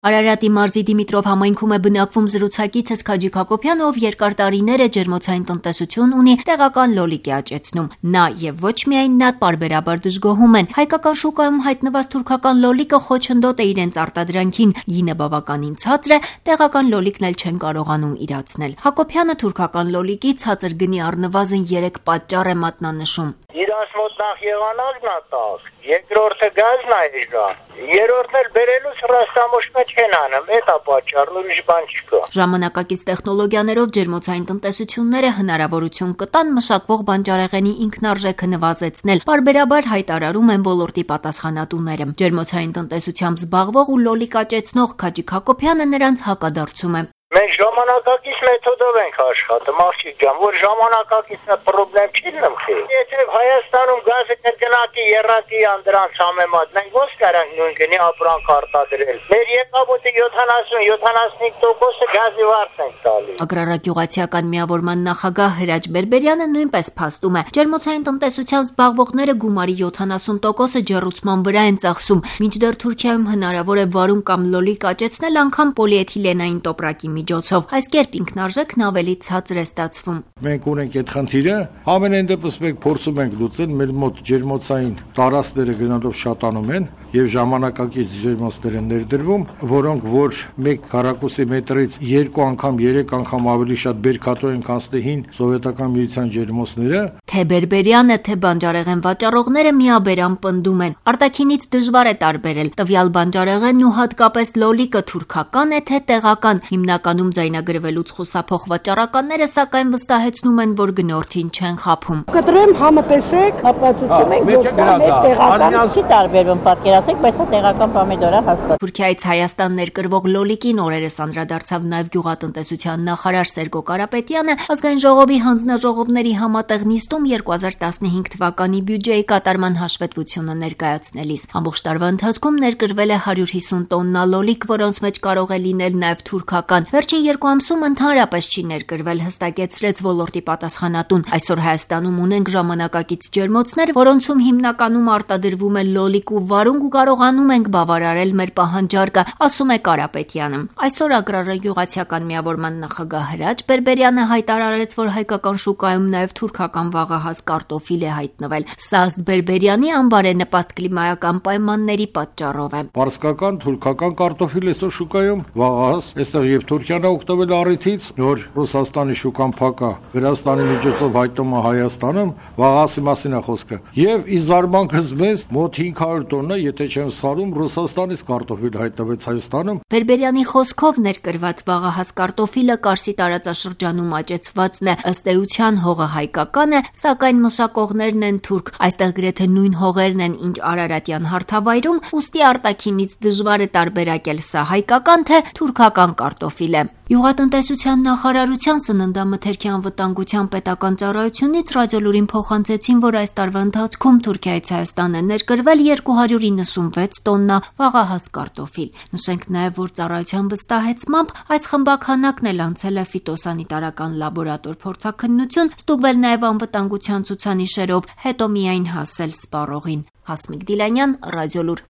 Արարատի մարզի Դիմիտրով համայնքում է բնակվում զրուցակիցս Քաջիկ Հակոբյանը, ով երկար տարիներ է ջերմոցային տնտեսություն ունի, տեղական լոլիկ է աճեցնում։ Նա եւ ոչ միայն նա պարբերաբար դժգոհում են։ Հայկական շուկայում հայտնված թուրքական լոլիկը խոչընդոտ է իրենց արտադրանքին, գինը բավականին ցածր է, տեղական լոլիկն էլ չեն կարողանում իրացնել։ Հակոբյանը թուրքական լոլիկի ցածր գնի առնվազն 3 պատճառ է մատնանշում։ Իրանց մոտ նախ եղանալն է տակ, երկրորդը գազն է իժան, երրորդն էլ բերելուց ռաստամոշմը չեն անում, դա պատճառն ուրիշ բան չկա։ Ժամանակակից տեխնոլոգիաներով ջերմոցային տնտեսությունները հնարավորություն կտան մշակվող բանջարեղենի ինքնարժեքը նվազեցնել, պարբերաբար հայտարարում են ոլորտի պատասխանատուները։ Ջերմոցային տնտեսությամբ զբաղվող ու լոլիկ աճեցնող Քաջիկ Հակոբյանը նրանց հակադարձում է։ Մենք ժամանակակից մեթոդով ենք աշխատում, աղջիկ ջան, որ ժամանակակիցը խնդրեմ չի լմխի։ Եթե Հայաստանում գազը կրկնակի եռակի անդրանց համեմատ, մենք ո՞նց կարանք նույն գնի ապրանք արտադրել։ Մեր եկամուտի 70-75% գազի վարձ ենք տալիս։ Ագրարագյուղացիական միավորման նախագահ Հրաչ Բերբերյանը նույնպես փաստում է, ջերմոցային տնտեսությամբ զբաղվողները գումարի 70%-ը ջեռուցման վրա են ծախսում, մինչդեռ Թուրքիայում հնարավոր է վարուն կամ լոլիկ աճեցնել անգամ պոլիէթիլենային տոպրակի միջոցով, այս կերպ ինքնարժեքն ավելի ցածր է ստացվում։ Մենք ունենք այդ խնդիրը, ամենայն դեպս մենք փորձում ենք լուծել, մեր մոտ ջերմոցային տարածքները գնալով շատանում են եւ ժամանակակից ջերմոցներ են ներդրվում, որոնք որ 1 քառակուսի մետրից 2 անգամ, 3 անգամ ավելի շատ բերքատու են կանցնի հին սովետական միության ջերմոցները։ Թե Բերբերյանը, թե բանջարեղեն վաճառողները միաբերան պնդում են, արտաքինից դժվար է տարբերել տվյալ բանջարեղենն ու հատկապես լոլիկը թուրքական է թե տեղական։ Հիմնականում ձայնագրվելուց խուսափող վաճառականները սակայն վստահեցնում են, որ գնորդին չեն խաբում։ Կտրեմ համտեսեք, ապացուցում ենք, որ սա մեր տեղական չի տարբերվում, պատկերացեք, բայց սա տեղական պոմիդոր է հաստատ։ Թուրքիայից Հայաստան ներկրվող լոլիկին օրերս անդրադարձավ նաև գյուղատնտեսության նախարար Սերգո Կարապետյանը, ազգային ժողովի հանձնաժողովների համատեղ նիստում 2015 թվականի բյուջեի կատարման հաշվետվությունը ներկայացնելիս։ Ամբողջ տարվա ընթացքում ներկրվել է 150 տոննա լոլիկ, որոնց մեջ կարող է լինել նաև թուրքական։ Վերջին 2 ամսում ընդհանրապես չի ներկրվել, հստակեցրեց ոլորտի պատասխանատուն։ Այսօր Հայաստանում ունենք ժամանակակից ջերմոցներ, որոնցում հիմնականում արտադրվում է լոլիկ ու վարունգ ու կարողանում ենք բավարարել մեր պահանջարկը, ասում է Կարապետյանը։ Այսօր ագրարագյուղացիական միավորման նախագահ Հրաչ Բերբերյանը հայտարարեց, որ հայկական շուկայում նաև թուրքական վաղահաս կարտոֆիլ է հայտնվել։ Սա ըստ Բերբերյանի անբարենպաստ կլիմայական պայմանների պատճառով է։ Պարսկական, թուրքական կարտոֆիլ այսօր շուկայում վաղահաս, այստեղ եւ Թուրքիան է օգտվել առիթից, որ Ռուսաստանի շուկան փակ է, Վրաստանի միջոցով հայտնում է Հայաստանում, վաղահասի մասին է խոսքը։ Եվ ի զարմանքս մեզ մոտ 500 տոննա, եթե չեմ սխալվում, Ռուսաստանից կարտոֆիլ հայտնվեց Հայաստանում։ Բերբերյանի խոսքով ներկրված վաղահաս կարտոֆիլը Կարսի տարածաշրջանում աճեցվածն է, ըստ էության հողը հայկական է, սակայն մշակողներն են թուրք։ Այստեղ գրեթե նույն հողերն են, ինչ Արարատյան հարթավայրում, ուստի արտաքինից դժվար է տարբերակել սա հայկական թե թուրքական կարտոֆիլ է։ Գյուղատնտեսության նախարարության սննդամթերքի անվտանգության պետական ծառայությունից ռադիոլուրին փոխանցեցին, որ այս տարվա ընթացքում Թուրքիայից Հայաստան է ներկրվել 296 տոննա վաղահաս կարտոֆիլ։ Նշենք նաև, որ ծառայության վստահեցմամբ այս խմբաքանակն էլ անցել է ֆիտոսանիտարական լաբորատոր փորձաքննություն, ստուգվել նաև անվտանգության ցուցանիշերով, հետո միայն հասել սպառողին։ Հասմիկ Դիլանյան, Ռադիոլուր։